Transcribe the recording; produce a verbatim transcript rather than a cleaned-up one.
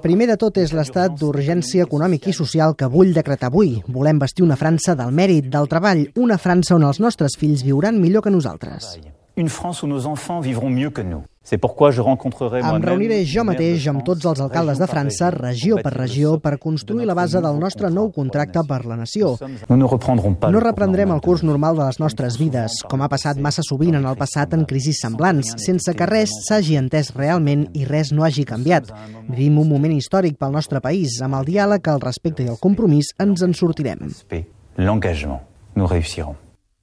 Primer de tot és l'estat d'urgència econòmic i social que vull decretar avui. Volem bastir una França del mèrit, del treball, una França on els nostres fills viuran millor que nosaltres. Une France où nos enfants vivront mieux que nous. C'est pourquoi je rencontrerai moi-même. Em reuniré jo mateix amb tots els alcaldes de França, regió per regió, per construir la base del nostre nou contracte per la nació. No reprendrem el curs normal de les nostres vides, com ha passat massa sovint en el passat en crisis semblants, sense que res s'hagi entès realment i res no hagi canviat. Vivim un moment històric pel nostre país. Amb el diàleg, el respecte i el compromís ens en sortirem. L'engagement, nous réussirons.